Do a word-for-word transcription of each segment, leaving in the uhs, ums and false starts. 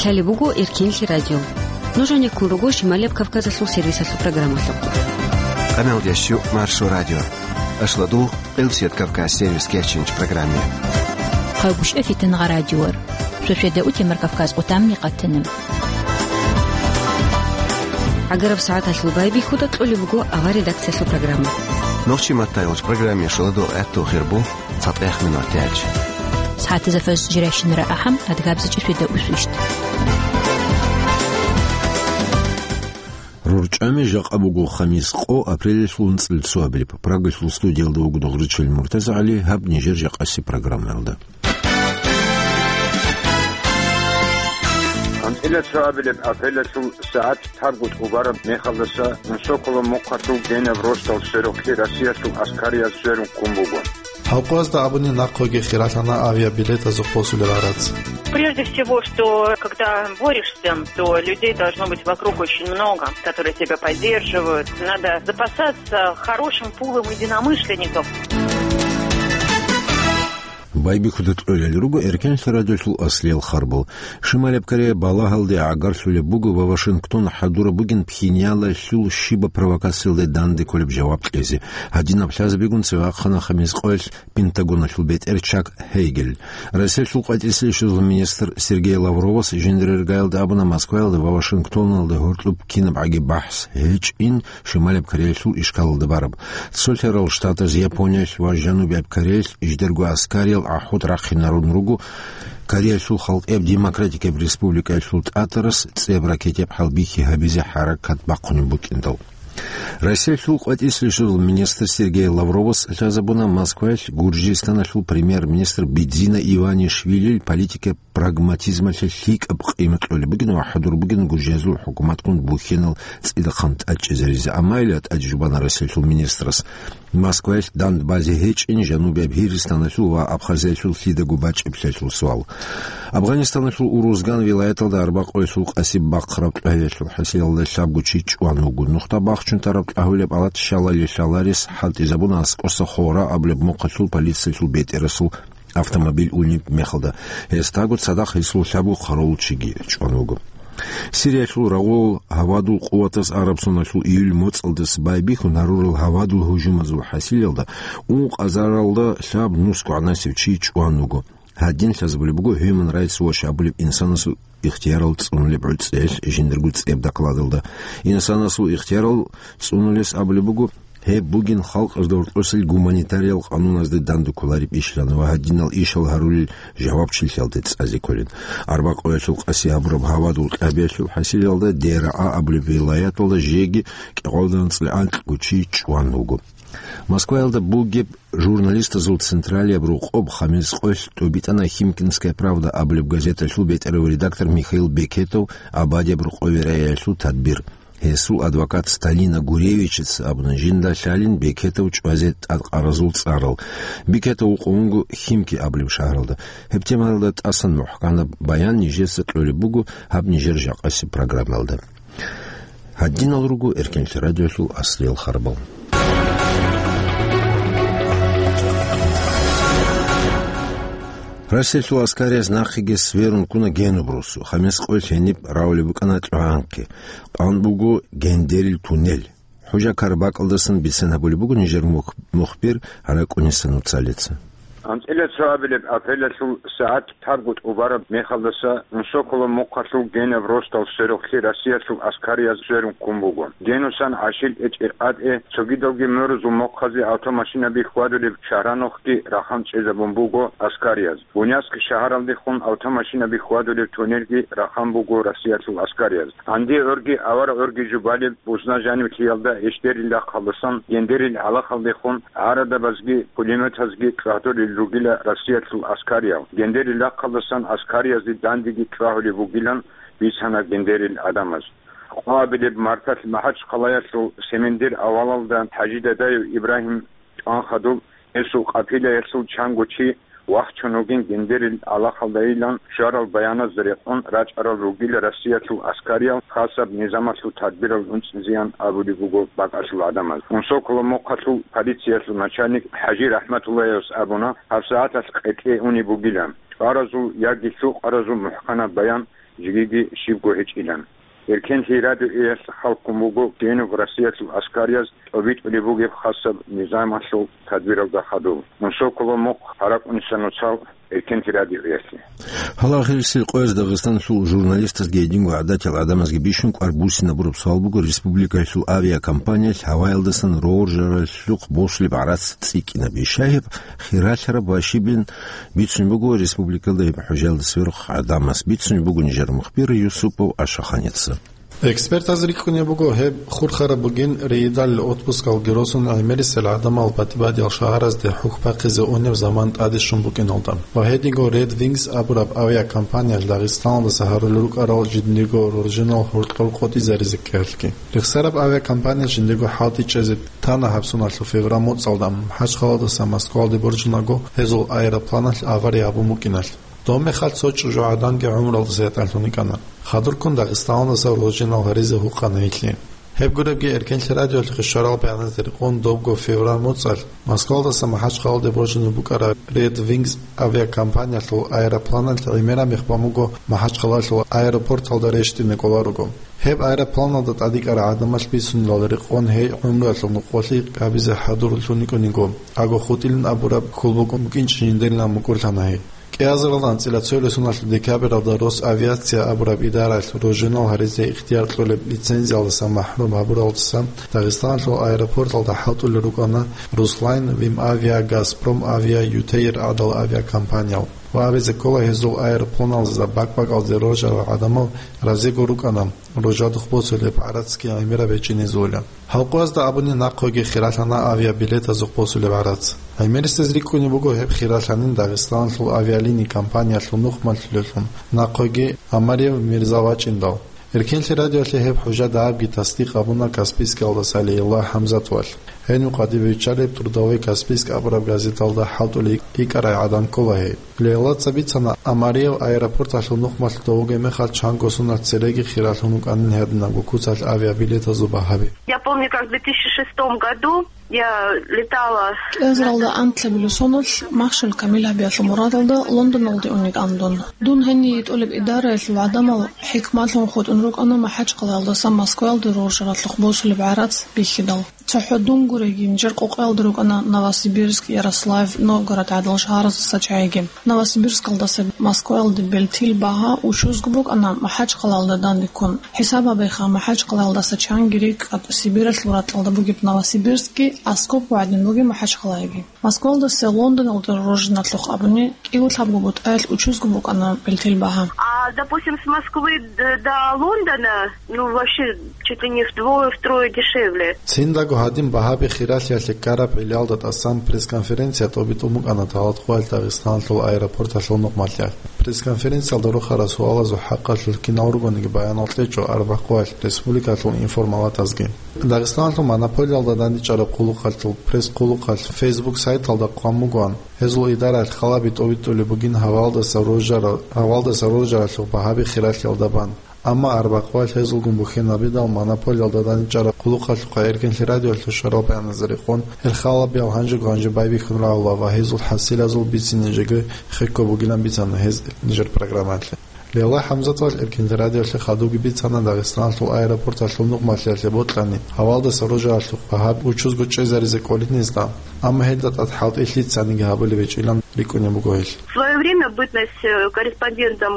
Лъалеб буго Эркенлъи радио. Нуж гьанеккун руго Шималияб Кавказалъул сервисалъул программалъухъ. Къаналда щу Маршо радио. Ашладул Къилсият Кавказ сервис кечинч программе. Хъагушев Фитнагъа радиор. Шошеда утемар Кавказ отамни къатанаб. ГӀагараб сагӀаталъул байбихьуда кьолеб буго авар редакциялъул программа. Нохчи маттайолч программе шоладо гӀатту хирбу. ЦатӀехъ минутаялъ. СагӀатазда фаз жирайщинара ахӀам, адгабзичӀеб шведа усвищт. РорчӀами жакъа буго хамис къо, апрелалъул унцӀил цоабилеб. Прагалъул студиялда вуго Догъричил МуртазагӀали, гьаб нижер жакъаси программаялда. АнцӀила цоабилеб апрелалъул сагӀат табгу тӀубараб мехалдаса Унсоколо мухъалъул генаб росдал сверухълъи Россиялъул аскарияб сверун ккун буго. Гьалкъуязда абуни нахъеги хиралъана авиабилетазухъ босулеб гӀарац. Прежде всего, что когда борешься, то людей должно быть вокруг очень много, которые тебя поддерживают. Надо запасаться хорошим пулом единомышленников. Байбихьуда кьолел руго Эркенлъи радиолъул аслиял харбал. Шималияб Корея балагьалде гӀагарлъулеб буго ва Вашингтон хӀадураб бугин Пхеньяналъул щибаб провокациялде данде кколеб жаваб кьезе. Гьадинаб лъазабигун цеве вахъана хамис къоялъ Пентагоналъул бетӀер Чак Гьейгел. Россиялъул къватӀисе щвезул министр Сергей Лавровас жиндир иргаялда абуна Москваялда ва Вашингтоналда гьоркьоб кинабгӀаги бахӀс гьечӀин Шималияб Кореялъул ишкалалда бараб. Цолъарал Штатаз, Япониялъ ва Жанубияб Кореялъ жидерго аскариял гӀахӀут рахъинарун руго Кореялъул Халкъияб Демократикияб Республикаялъул тӀатарас цӀеб ракетияб хӀалбихьи гьабизе хӀаракат бахъунеб букӀиндал. Россиялъул къватӀисе щвезул министр Сергей Лавровас лъазабуна Москваялъ Гуржистаналъул премьер-министр Бидзина Иванишвилил политикияб прагматизмалъе лъикӀаб къимат кьолеб бугин ва хӀадур бугин гужезул хӀукуматгун бухьинал цӀидахъан тӀадчӀезаризе. Амма ила тӀадчӀ жубана Россиялъул министрас Москваялъ дандбазе гьечӀин Жанубияб Гьиристаналъул ва Абхазиялъул лъидаго бачӀиблъиялъул суал. Афганистаналъул Урузган вилаяталда арбакъоялъул къасиб бахъараб кьвагьиялъул хӀасилалда лъабго чи чӀван вуго. Нухда бахчун тараб кьагьулеб алат щалали лъаларес хӀалтӀизабуна аскӀоса Хора абулеб мухъалъул полициялъул бетӀерасул автомобиль унеб мехалда. Гьесдаго цадахъ гьесул лъабго хъаравул чиги чӀван вуго. Сириялъул рагъул гьавадул къуватаз Арабсоналъул июль моцӀалдаса байбихьун гьарурал гьавадул гьужумазул хӀасилалда ункъазаралда лъаб нусго гӀанасев чи чӀван вуго. Гьадин лъазабулеб буго Human Rights Watch абулеб инсанасул ихтиярал цӀунулеб гӀуцӀелъ жиндирго цӀеб докладалда. Инсанасул ихтиярал цӀунулес абулеб буго, гьеб бугин халкъалда гьоркьосел гуманитариял къануназде данде кколареб ишилан ва гьадинал ишал гьарулел жавабчилъиялде цӀазе кколин. Арбакъоялъул къаси гьабураб гьавадул кьабиялъул хӀасилалда Дераа абулеб вилаяталда жеги кӀикъоялда анцӀила анкьго чи чӀван вуго. Москваялда бугеб журналистазул централияб рокъоб хамис къоялъ тӀубитӀана Химкинская правда абулеб газеталъул бетӀерав редактор Михаил Бекетов абадияб рокъове рагӀиялъул тадбир. Гьесул адвокат Сталина Гуревичица абуна жинда лъалин Бекетов чӀвазе тӀадкъаразул цӀарал. Бекетов вукъун вуго Химки абулеб шагьаралда. Гьеб темаялда тӀасан мухӀканаб баян нижеца кьолеб буго гьаб нижер жакъасеб программаялда. Гьадинал руго Эркенлъи радиолъул аслиял харбал. Россиялъул аскарияз нахъеги сверун ккуна Генуб росу. Хамис къоялъ гьениб равулеб букӀана кьвагӀанхъи. Къан буго Гендерил туннель. ХӀужа Карабакалдасан бицен гьабулеб буго нижер мух-, мухбир ГӀаракӀуниса Нуцалица. АнцӀила цоабилеб апрелалъул сагӀат табгу тӀубараб мехалдаса Унсоколо мухъалъул Генаб росдал сверухълъи Россиялъул аскарияз сверун ккун буго. Генусан ГӀашил ТӀечӀеб къатӀе цогидалги морузул мухъазе автомашинаби хьвадулеб шагьранухъги рахъан чӀезабун буго аскарияз. Буняск шагьаралдехун автомашинаби хьвадулеб туннелги рахъан буго Россиялъул аскарияз. Гьанде гӀорги авара гӀорги жубалеб бузна жанивлъиялда Эшдерил рахъалдасан Гендерил гӀалахалдехун гӀарадабазги пулеметазги чӀвагьдулел ругила Россиялъул аскариял. Гендерил рахъалдасан аскариязде дандеги чӀвагьулеб бугилан бицана гендерил гӀадамаз. Къоабилеб марталъ МахӀачхъалаялъул Семендер авалалда ХӀажи Дадаев Ибрагьим чӀван хадуб, гьесул къапилаялъул чанго чи вахчун вугин Гендерил гӀалахалдайилан щварал баяназда рекъон рачӀарал ругила Россиялъул аскариял хасаб низамалъул тадбирал унцӀизеян абулеб буго бакӀалъул гӀадамаз. Унсоколо мухъалъул полициялъул начальник ХӀажи РахӀматуллаевас абуна, гьабсагӀаталъ къекъе унеб бугилан. ЧӀваразул яги лъукъаразул мухӀканаб баян жигиги щибго гьечӀилан. Эркенлъи радиоялъ хӀалкун буго ккенуб Россиялъул аскарияб тӀобитӀулеб бугеб хасаб низамалъул тадбиралда хадуб. Мунсоколо мухъ гьаракӀуниса нуцал Эркенлъи радиоялъе. Гьале ахирисел къояз Дагъистаналъул журналистазги гьединго гӀадатиял гӀадамазги бищун кӀвар буссинабураб суал буго республикаялъул авиакомпаниялъ гьаваялдасан роржаралъухъ босулеб гӀарац цӀикӀкӀинаби. Щай гьеб хиралъараб ва щибин бицунеб буго республикалда гьеб хӀужаялда сверухъ гӀадамас? Бицунеб буго нижер мухбир Юсупов Ашаханица. Экспертаз рикӀкӀунеб буго, гьеб хурхараб бугин рейдалил отпускалги росун гӀемерисел гӀадамал батӀи-батӀиял шагьаразде хӀухь бахъизе унеб заман тӀаде щун букӀиналда ва гьединго Red Wings абураб авиакомпаниялъ Дагъистаналдаса гьарулел рукӀарал жиндирго роржинал гьоркьор къотӀизаризе ккеялъги. Рехсараб авиакомпаниялъ жиндирго хӀалтӀи чӀезе тана гьаб соналъул февраль моцӀалда МахӀачхъалаялдаса Москваялде боржунаго гьезул аэропланалъ авария гьабун букӀиналъ. Доб мехалъ цо чӀужугӀадан гӀумруялдаса ятӀанлъун йикӀана. Хадурккун Дагъистаналдаса роржинал гьаризе гьукъана гьелъие. Гьеб гуребги, Эркенлъи радиоялъухъе щварал бегӀеразде рекъон, добго февраль моцӀалъ Москваялдаса МахӀачхъалаялде боржунеб букӀараб Red Wings авиакомпаниялъул аэропланалъ гӀемераб мех бан буго МахӀачхъалаялъул аэропорталда рещтӀине кӀоларуго. Гьеб аэропланалда тӀадикӀарай гӀадамалъ бицунелал рекъон гьей гӀумруялъул нукъолъи гьабизе хӀадурлъун йикӀун йиго, агохутӀилин абураб хьул букӀун букӀинчӀин жиндирилан мукӀурлъана гьей. КӀиазаралда анцӀила цоял сордоялъул декабралда Росавиация абураб идараялъ роржинал гьаризе ихтияр кьолеб лицензиялдаса махӀрум гьабуралдаса Дагъистаналъул аэропорталда хӀалтӀулел рукӀана Руслайн, Вимавиа, Газпром Авиа, Ютейр гӀадал авиакомпаниял. Ва абизе ккола, гьезул аэропланалдаса бакӀ-бакӀалде роржарал гӀадамал разиго рукӀана, роржадухъ босулеб гӀарацги гӀемераб гьечӀинезулила. Гьалкъоязда абуни нахъеги хиралъана авиабилетазухъ босулеб гӀарац. ГӀемерисез рикӀкӀунеб буго гьеб хиралъанин Дагъистаналъул авиалини компаниялъул нухмалъулеллъун, нахъеги Омариев Мирза вачӀиндал. Эркенлъи радиоялъе гьеб хӀужа дагьабги тасдикъ гьабуна Каспийскалдаса Лейла ХӀамзатовалъ. Гьенив къватӀибе биччалеб «Трудовой Каспийск» абураб газеталда хӀалтӀулей йикӀарай гӀадан ккола гьей. Лейлаца бицана, Омариев аэропорталъул нухмалъуда вугеб мехалъ чанго соналъ цереги хиралъун вукӀанин гьединабго куцалъ авиабилетазул багьаби. Я помню, как в две тысячи шестом году я летала. КӀиазаралда анлъабилеб соналъ махщел камил гьабиялъул мурадалда Лондоналде ун йикӀана дун. Дун гьение йитӀулеб идараялъул гӀадамал хӀикмалъун хутӀун рукӀана МахӀачхъалаялдаса Москваялде роржаралъухъ босулеб гӀарац бихьидал. ЦохӀо дун гуреги, нижер къокъоялда рукӀана Новосибирск, Ярославль, Новгород гӀадал шагьараздаса чагӀиги. Новосибирскалдаса Москваялде белтил багьа учузго букӀана МахӀачхъалаялда данде ккун. ХӀисаб гьабеха, МахӀачхъалаялдаса чанги рикӀкӀад Сибиралъул ракьалда бугеб Новосибирскги, аскобго гӀадин бугеб МахӀачхъалаги. Москваялдаса Лондоналде роржиналъухъ абуни, кӀиго-лъабго бутӀаялъ учузго букӀана белтил багьа. А, допустим, с Москвы д-, до Лондона, ну, вообще, чуть ли не вдвое, втрое дешевле. Циндаго гьадин багьаби хиралъиялъе ккараб гӀиллаялда тӀасан пресс-конференция тӀобитӀун букӀана Талатхъоялъ Дагъистаналъул аэропорталъул нухмалъиялъ. Пресс-конференциялда рохарал суалазул хӀакъалъулъ кинал ругониги баянал кьечӀо арбякъоялъ республикалъул информалатазги. Дагъистаналъул монополиялда дандчӀвараб хъулухъалъул пресс-хъулухъалъ Facebook сайталда хъван бугоан, гьезул идараялъ халаби тӀобитӀулеб бугин гьаваялдаса роржара-, гьаваялдаса роржаралъухъ багьаби хиралъиялда бан. Амма арбякъоялъ гьезулгун бухьинабидал монополиялда дандчӀвараб хъулухъалъухъа Эркенлъи радиоялъул щварал баяназда рекъон, гьел халабиял гьанжего-гьанже байбихьун рагӀула ва гьезул хӀасилазул бицине жеги хехго бугилан бицана гьез нижер программаялъе. Лейлла ХӀамзатовалъ Эркенлъи радиоялъе хадубги бицана Дагъистаналъул аэропорталъул нухмалъиялъе бокьани, гьаваялдаса роржаралъухъ багьаби учузго чӀезаризе кӀолин гьезда, амма гьелда тӀад хӀалтӀи лъицаниги гьабулеб гьечӀилан рикӀкӀунеб буго гьел. В своё время, в бытность, э, корреспондентом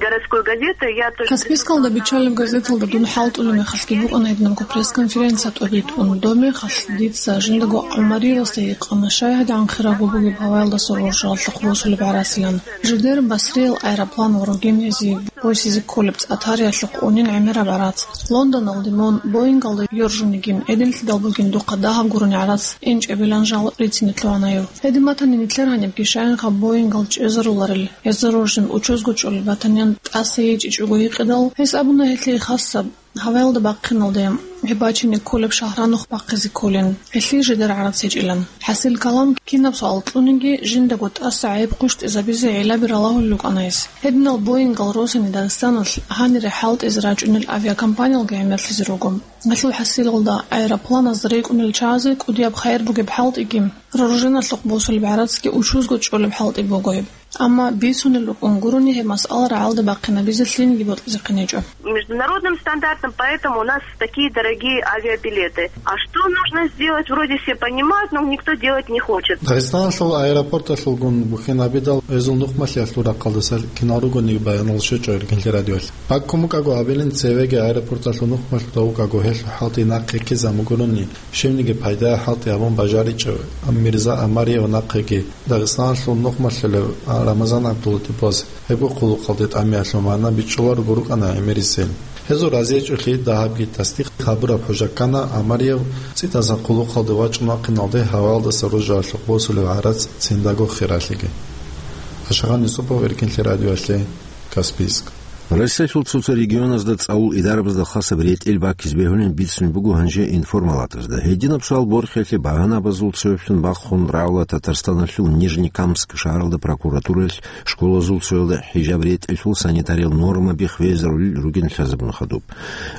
городской газеты, я только... Каспийскалда биччалеб газеталда дун хӀалтӀулеб мехалъги букӀана гьединабго пресс-конференция тӀобитӀун. Доб мехалъ дица жиндаго ГӀумариевасда гьикъана, щай гьадигӀан хирав бугеб гьаваялдаса роржаралъухъ босулеб гӀарацилан. Жидер Басриял аэроплан ва ругин гьезие босизе кколеб цӀа тариялъухъ унин гӀемераб гӀарац. Лондоналде мун Боингалда йоржунигин, гӀединлъидал бугин духъа дагьаб гурони гӀарац инчӀебилан жал рицине лъугьана гьев. Гьедин батани, нилъер гьанибги щайинха Боингал чӀезаруларел, гьезда роржун учузго чӀолеб батани, тӀаса гьечӀичӀого гьикъидал, гьес абуна гьелъие хасаб гьаваялда бахъиналде. гьеб бачине кколеб шагьранухъ бахъизе кколин, гьелъие жидер гӀарац гьечӀилан. ХӀасил калам, кинаб суал кьуниги, жиндаго тӀаса гӀайиб хъущтӀизабизе гӀиллаби ралагьулел рукӀана гьес. Гьединал Боингал росани Дагъистаналъ гьанире хӀалтӀизе рачӀунел авиакомпаниялги гӀемерлъизе руго. Гьелъул хӀасилалда аэропланаз рекӀунел чагӀазе кӀудияб хайир бугеб хӀалтӀиги, вооруженалъухъ босулеб гӀарацги учузго чӀолеб хӀалтӀи буго гьеб. Амма бицунел рукӀун гурони гьеб масъала рагӀалда бахъинабизе лъиниги бокьизехъин гьечӀо. Международным стандартам, поэтому у нас такие дорогие авиабилеты. А что нужно сделать, вроде все понимают, но никто делать не хочет. Дагъистаналъул аэропорталъулгун бухьинабидал гьезул нухмалъиялъул рахъалдаса кинал ругониги баянал щвечӀо Иркинлъи радиоялъ. Баккун букӀаго абилин цевеги аэропорталъул нухмалъуда вукӀаго гьелъул хӀалтӀи нахъе ккезабун гурони, щибниги пайдае хӀалтӀи гьабун бажаричӀев Мирза Амариев нахъеги Дагъистаналъул нухмалъулев Рамазан ГӀабдулатиповас гьебго хъулухъалде тӀамиялъул магӀна бичӀчӀуларого рукӀана гӀемерисел. Гьезул разиячӀулъи дагьабги тасдикъ гьабураб хӀужа ккана Амариев цӀидасан хъулухъалде вачӀун вахъиналде гьаваялдаса ружаялъухъ босулев гӀарац циндаго хиралъиги. Ашагъан Юсупов, Иркинлъи радиоялъе, Каспийск. Россиялъул цо-цо регионазда цӀалул идарабазда хасаб ретӀел баккизе бегьулин бицунеб буго гьанже информалатазда. Гьединаб суал борхиялъе багьанабазул цояблъун бахъун рагӀула Татарстаналъул Нижнекамск шагьаралда прокуратураялъ школазул цоялда хӀижаб ретӀелъул санитариял нормаби хвезарулел ругин лъазабун хадуб.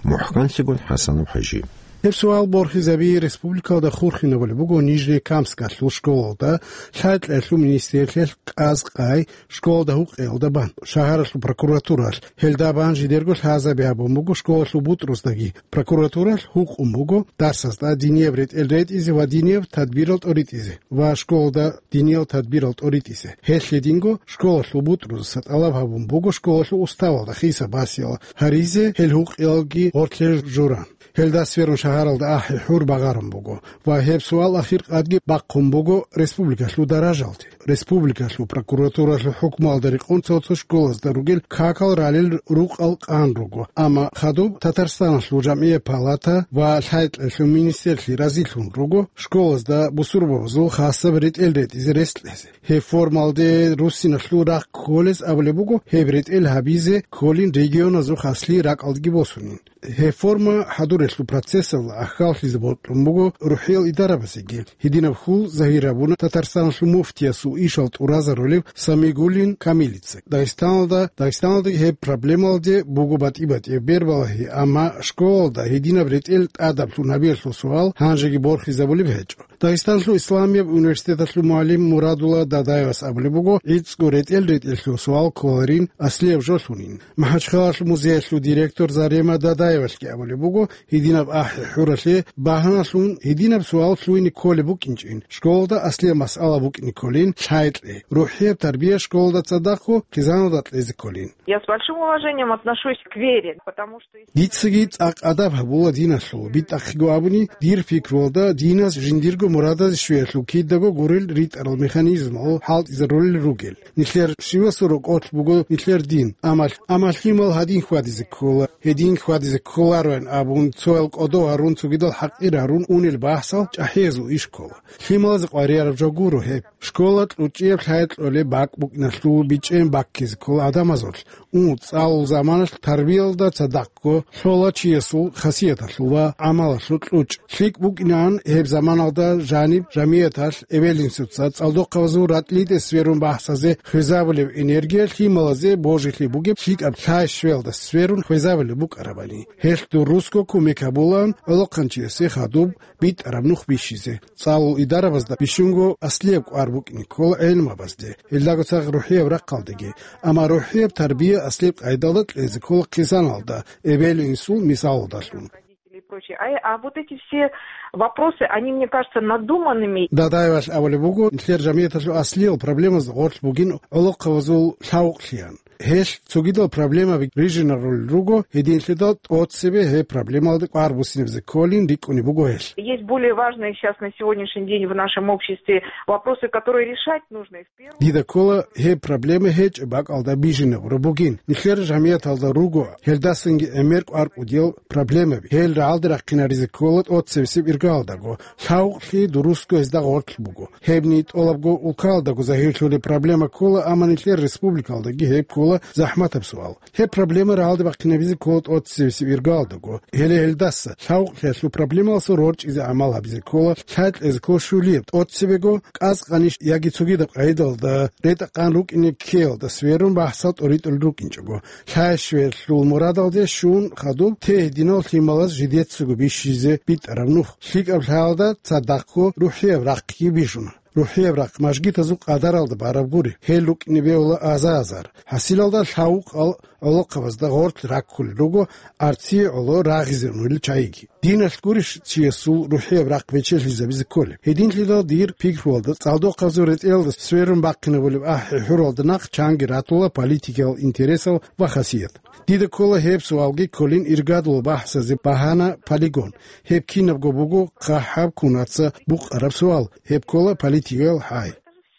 МухӀканлъигун ХӀасанов ХӀажи. Гьеб суал борхизаби республикалда хурхинабулеб буго Нижнекамскалъул школалда, лъай-кьеялъул министрлъиялъ къаз-къай, школалда гьукъиялда бан, шагьаралъул прокуратуралъ. Гьелда бан жидерго лъазаби гьабун буго школалъул бутӀруздаги. Прокуратуралъ гьукъун буго дарсазда динияб ретӀел ретӀизе ва динияб тадбирал тӀоритӀизе ва школалда диниял тадбирал тӀоритӀизе. Гьелъ гьединго школалъул бутӀрузаса тӀалаб гьабун буго школалъул уставалда хиса-басиял гьаризе гьел гьукъиялги гъорлъе журан. Гьелда сверун шагьаралда ахӀи-хӀур багъарун буго ва гьеб суал ахиркъадги бахъун буго республикалъул даражалде. Республикалъул прокуратуралъул хӀукмуялда рекъон цо-цо школазда ругел какал ралел рукъал къан руго, амма хадуб Татарстаналъул жамгӀияб палата ва лъай-кьеялъул министрлъи разилъун руго школазда бусурбабазул хасаб ретӀел ретӀизе рес кьезе. Гьеб формалде руссиналъул рахъ кколез абулеб буго, гьеб ретӀел гьабизе кколин регионазул хаслъи ракӀалдеги босунин. Гьеб форма хӀадурелъул процессалда ахьаллъизе бокьун буго рухӀиял идарабазеги. Гьединаб хьул загьир гьабуна Татарстаналъул муфтиясул ишал тӀуразарулев Самигуллин Камилица. Дагъистаналда, Дагъистаналдаги гьеб проблемалде буго батӀи-батӀияб бербалагьи, амма школалда гьединаб ретӀел тӀадаблъун гьабиялъул суал гьанжеги борхизабулеб гьечӀо. Дагъистаналъул исламияб университеталъул мугӀалим Мурадулла Дадаевас абулеб буго, гӀицӀго ретӀел ретӀелъул суал кколарин аслияб жолъунин. МахӀачхъалалъул музеялъул директор Зарема Дадаевалъги абулеб буго, гьединаб ахӀи-хӀуралъе багьаналъун гьединаб суал лъугьине кколеб букӀинчӀин, школалда аслияб масъала букӀине кколин, лъай-кьей, рухӀияб тарбия школалда цадахъго хъизаналда кьезе кколин. Я с большим уважением отношусь к вере, потому что... Дицаги цӀакъ адаб гьабула диналъул. БитӀахъего абуни, дир пикруялда, динас жиндирго мурадазе щвеялъул кидаго гурел ритӀарал механизмал хӀалтӀизарулел ругел. Нилъер щивасул рокъолъ буго нилъер дин, амма, амма лъимал гьадин хьвадизе ккола, гьедин хьвадизе кколароян абун, цоял кӀодо гьарун, цогидал хӀакъир гьарун унел бахӀсал чӀахӀиязул иш ккола. Лъималазе къваригӀараб жо гуро гьеб. Школа кьучӀияб лъай кьолеб бакӀ букӀиналъул бичӀчӀи баккизе ккола гӀадамазулъ. Ун, цӀалул заманалъ тарбиялда цадахъго лъола чиясул хасияталъул ва гӀамалалъул кьучӀ. ЛъикӀ букӀинан гьеб заманалда жаниб жамияталъ эбел-инсуца цӀалдохъабазул ракьалде сверун бахӀсазе хвезабулеб энергия лъималазе божилъи бугеб лъикӀаб лъай-щвелалда сверун хвезабулеб букӀарабани. Гьелъ дурусго кумек гьабулаан гӀолохъанчиясе хадуб битӀараб нух бищизе. ЦӀалул идарабазда бищунго аслияб кӀвар букӀине ккола гӀелмабазде, гьелдаго цадахъ рухӀияб рахъалдеги, амма рухӀияб тарбия аслияб къайдалда кьезе ккола хъизаналда, эбел-инсул мисалалдалъун. И прочее. А, а вот эти все вопросы, они мне кажутся надуманными. Дадаевалъ абулеб буго, нилъер жамияталъул аслиял проблемазда гъорлъ бугин гӀолохъабазул лъавукълъиян. Гьелъ цогидал проблемаби рижинарулел руго, гьединлъидал тӀоцебе гьеб проблемалда кӀвар буссинабизе кколин рикӀкӀунеб буго гьелъ. Есть более важные сейчас на сегодняшний день в нашем обществе вопросы, которые решать нужно. Дида ккола гьеб проблема гьечӀеб бакӀалда бижинабураб бугин. Нилъер жамияталда руго гьелдасанги гӀемер кӀвар кӀудиял проблемаби. Гьел рагӀалде рахъинаризе ккола тӀоцебесеб иргаялдаго. Лъавукълъи дурусго гьезда гъорлъ буго. Гьебни тӀолабго улкаялдаго загьирлъулеб проблема ккола, амма нилъер республикалдаги гьеб ккола. ва захӀматаб суал. Гьеб проблема рагӀалде бахъинабизе ккола тӀоцебесеб иргаялдаго. Гьеле гьелдаса лъавукълъиялъул проблемалъул рорчӀизе гӀамал гьабизе ккола, лъай кьезе ккола щулияб тӀоцебего, кӀас-къаниш яги цогидаб къагӀидалда ретӀа-къан рукӀине ккеялда сверун бахӀсал тӀоритӀулел рукӀинчӀого. Лъай-щверлъул мурадалде щун хадуб те гьединал лъималаз жидецаго бищизе битӀараб нух лъикӀаб лъаялда цадахъго рухӀияб рахъги бижуна. РухӀияб рахъ мажгитазул къадаралда бараб гури, гьел рукӀине бегьула аза-азар. ХӀасилалда лъавукъал гӀолохъабазда гъорлъ раккулел руго арцие гӀоло рагъизе унел чагӀиги. Диналъ гурищ чиясул рухӀияб рахъ бечелъизабизе кколеб? Гьединлъидал дир пикруялда, цӀалдохъабазул ретӀелалда сверун бахъинабулеб ахӀи-хӀуралда нахъ чанги ратула политикиял интересал ва хасият. Дида ккола гьеб суалги кколин иргадулаб бахӀсазе багьана полигон. Гьеб кинабго буго хъахӀаб кунаца букъараб суал, гьеб ккола политикиял хӀай.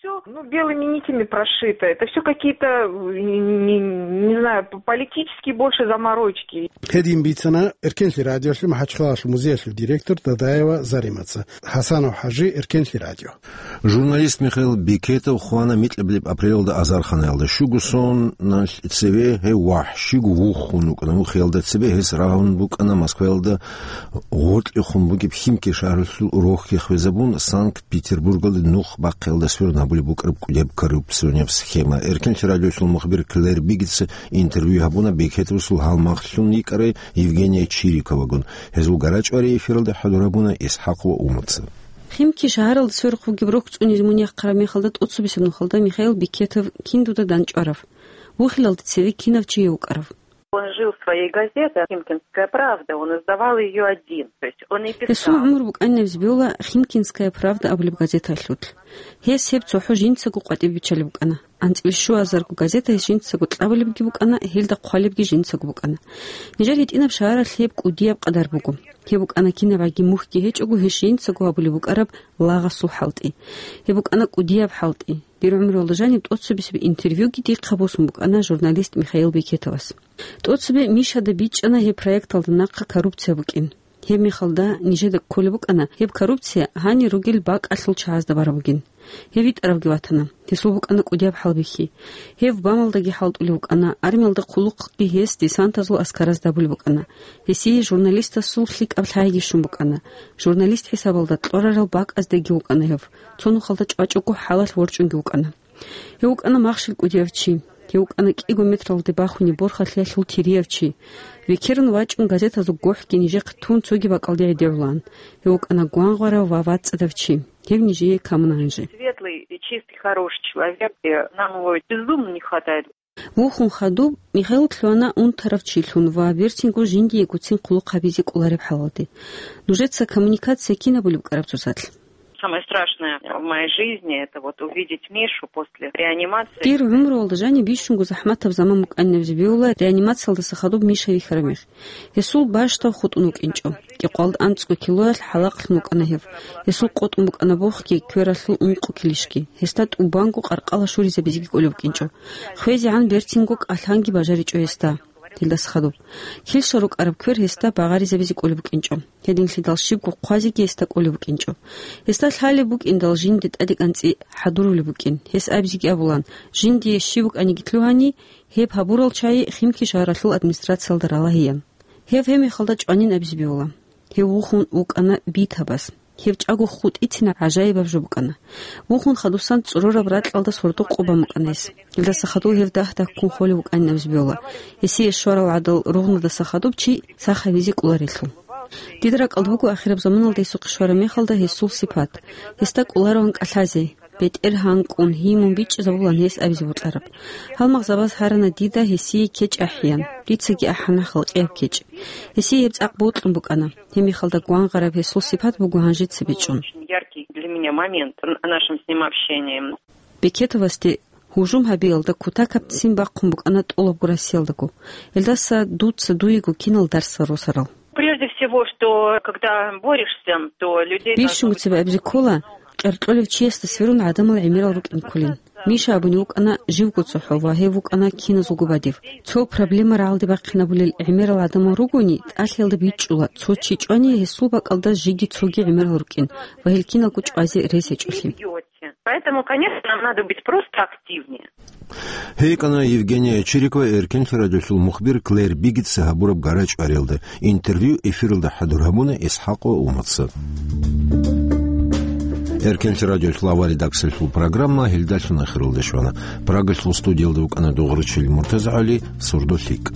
Всё, ну, белыми нитями прошито. Это всё какие-то, э, не, не знаю, п-, политические больше заморочки. Гьедин бицана Эркенлъи радиолъе МахӀачхъалалъул музеялъул директор Дадаева Заремаца. ХӀасанов ХӀажи, Эркенлъи радио. Журналист Михаил Бекетов хвана микьабилеб апрелалда азарханаялда. Щуго соналъ цеве гьев вахӀщиго вухун вукӀана. Вухиялда цебе гьес рагьун букӀана Москваялда гъоркьехун бугеб Химки шагьаралъул рохьги хвезабун, Санкт-Петербургалде нух бахъиялда сверун гьабулеб букӀараб кӀудияб коррупционияб схема. Эркенлъи радиолъул мухбир Клэр Бигица интервью гьабуна Бекетовасул гьалмагълъун йикӀарай Евгения Чириковагун. Гьезул гарачӀварий эфиралда хӀадур гьабуна ИсхӀакъ ва Умаца. Химки шагьаралда сверухъ бугеб рохь цӀунизе мун яхъараб мехалда тӀоцебесеб нухалда Михаил Бекетов кин дуда дандчӀварав? Вухилалда цеве кинав чи гьев вукӀарав? Он жил своей газетой, «Химкинская правда», он издавал её один, то есть он и писал. Гьесул гӀумру букӀанин абизе бегьула «Химкинская правда» абулеб газеталъулъ. Гьес гьеб цохӀо жинцаго къватӀибе биччалеб букӀана. АнцӀила щуазарго газета гьес жинцаго кьабулебги букӀана, гьелда хъвалебги жинцаго букӀана. Нижер гьитӀинаб шагьаралъ гьеб кӀудияб къадар буго. Гьеб букӀана кинабгӀаги мухьги гьечӀого гьес жинцаго гьабулеб букӀараб лагъасул хӀалтӀи. Гьеб букӀана кӀудияб хӀалтӀи. Дир гӀумруялда жаниб тӀоцебесеб интервьюги дихъа босун букӀана журналист Михаил Бекетовас. ТӀоцебе Мишада бичӀчӀана гьеб проекталда нахъа коррупция букӀин. Гьеб мехалда нижеда кколеб букӀана гьеб коррупция гьанир ругел бакӀалъул чагӀазда бараб бугин. Гьев витӀаравги ватана. Гьесул букӀана кӀудияб хӀалбихьи. Гьев бамалдаги хӀалтӀулев вукӀана, армиялда хъулухъги гьес десантазул аскаразда абулеб букӀана. Гьесие журналистасул лъикӀаб лъайги щун букӀана. Журналист хӀисабалда кьорарал бакӀаздаги вукӀана гьев. Цо нухалда чӀвачӀого хӀалалъ ворчӀунги вукӀана. Гьев вукӀана махщел кӀудияв чи. Гьев вукӀана кӀиго метралде бахунеб борхалъиялъул тирияв чи. Векерун вачӀун газетазул гохӀги нижехъе тун цоги бакӀалде гӀедегӀулаан. Гьев вукӀана гвангъварав ва вацӀцӀадав чи. Гьев нижее камуна гьанже. Светлый и чистый, хороший человек, и нам его безумно не хватает. Вухун хадуб, Михаил лъугьана унтарав чилъун ва берцинго жиндиегоцин хъулухъ гьабизе кӀолареб хӀалалде. Нужеца коммуникация кин абулеб букӀараб цоцалъ? Самое страшное в моей жизни — это вот увидеть Мишу после реанимации. Дир гӀумруялда жаниб бищунго захӀматаб заман букӀанин абизе бегьула реанимациялдаса хадуб Миша вихьараб мех. Гьесул бащдаб хутӀун вукӀинчӀо. КӀикъвалда анцӀго килоялъ хӀалахълъун вукӀана гьев. Гьесул къотӀун букӀана бохги, квералъул ункъо килищги. Гьесда тӀубанго къаркъала щуризабизеги кӀолеб букӀинчӀо. ХвезегӀан берцинго кӀалъанги бажаричӀо гьесда. Гьелдаса хадуб. Килщал рукӀараб квер гьесда багъаризабизе кӀолеб букӀинчӀо. Гьединлъидал щибго хъвазеги гьесда кӀолеб букӀинчӀо. Гьесда лъалеб букӀиндал жинде тӀадегӀанцӀи хӀадурулеб букӀин. Гьес абизеги абулан, жиндие щиб букӀаниги лъугьани, гьеб гьабурал чагӀи Химки шагьаралъул администрациялда ралагьеян. Гьев гьеб мехалда чӀванин абизе бегьула. Гьев вухун вукӀана битабаз. Гьев чӀаго хутӀицина гӀажаибаб жо букӀана. Вухун хадусан цӀорораб ракьалда сордо къо бан букӀана гьес. Гьелдаса хадув гьев дагь-дагьккун холев вукӀанин абизе бегьула. Гьесие щварал гӀадал ругънадаса хадуб чи сах гьавизе кӀоларелъул. Дида ракӀалда буго ахираб заманалда гьесухъе щвараб мехалда гьесул сипат. Гьесда кӀолароан кӀалъазе, бетӀер гьанкӀун, гьимун бичӀчӀизабулан гьес абизе бокьараб. Гьалмагъзабаз гьарана дида гьесие кечӀ ахӀеян, дицаги ахӀана халкъияб кечӀ. Гьесие гьеб цӀакъ бокьун букӀана. Гьеб мехалда гвангъараб гьесул сипат буго гьанжеца бичӀчӀун. Очень яркий для меня момент в нашем с ним общении. Бекетовасде гьужум гьабиялда кутакабцин бахъун букӀана тӀолабго Россиялдаго. Гьелдаса дуца дуего кинал дарсал росарал. Прежде всего, что когда борешься, то людей должно быть... Бищунго цебе абизе ккола, къеркьолев чиясда сверун гӀадамал гӀемерал рукӀин кколин. Миша абуни вукӀана живго цохӀо ва гьев вукӀана киназулго бадиб. Цо проблема рагӀалде бахъинабулел гӀемерал гӀадамал ругони, тӀалъиялда бичӀчӀула, цо чи чӀвани гьесул бакӀалда жеги цоги гӀемерал рукӀин ва гьел киналго чӀвазе рес гьечӀолъи. Поэтому, конечно, нам надо быть просто активнее. ГьикӀана Евгения Чирикова Эркенлъи радиолъул мухбир Клэр Бигица гьабураб гара-чӀвариялда. Интервью эфиралда хӀадур гьабуна ИсхӀакъ ва Умаца. Эркенлъи радиолъул авария даксалъул программа гьелдалъун ахиралде щвана. Прагалъул студиялда вукӀана Дугъручил МуртазагӀали, сурдо лъикӀ.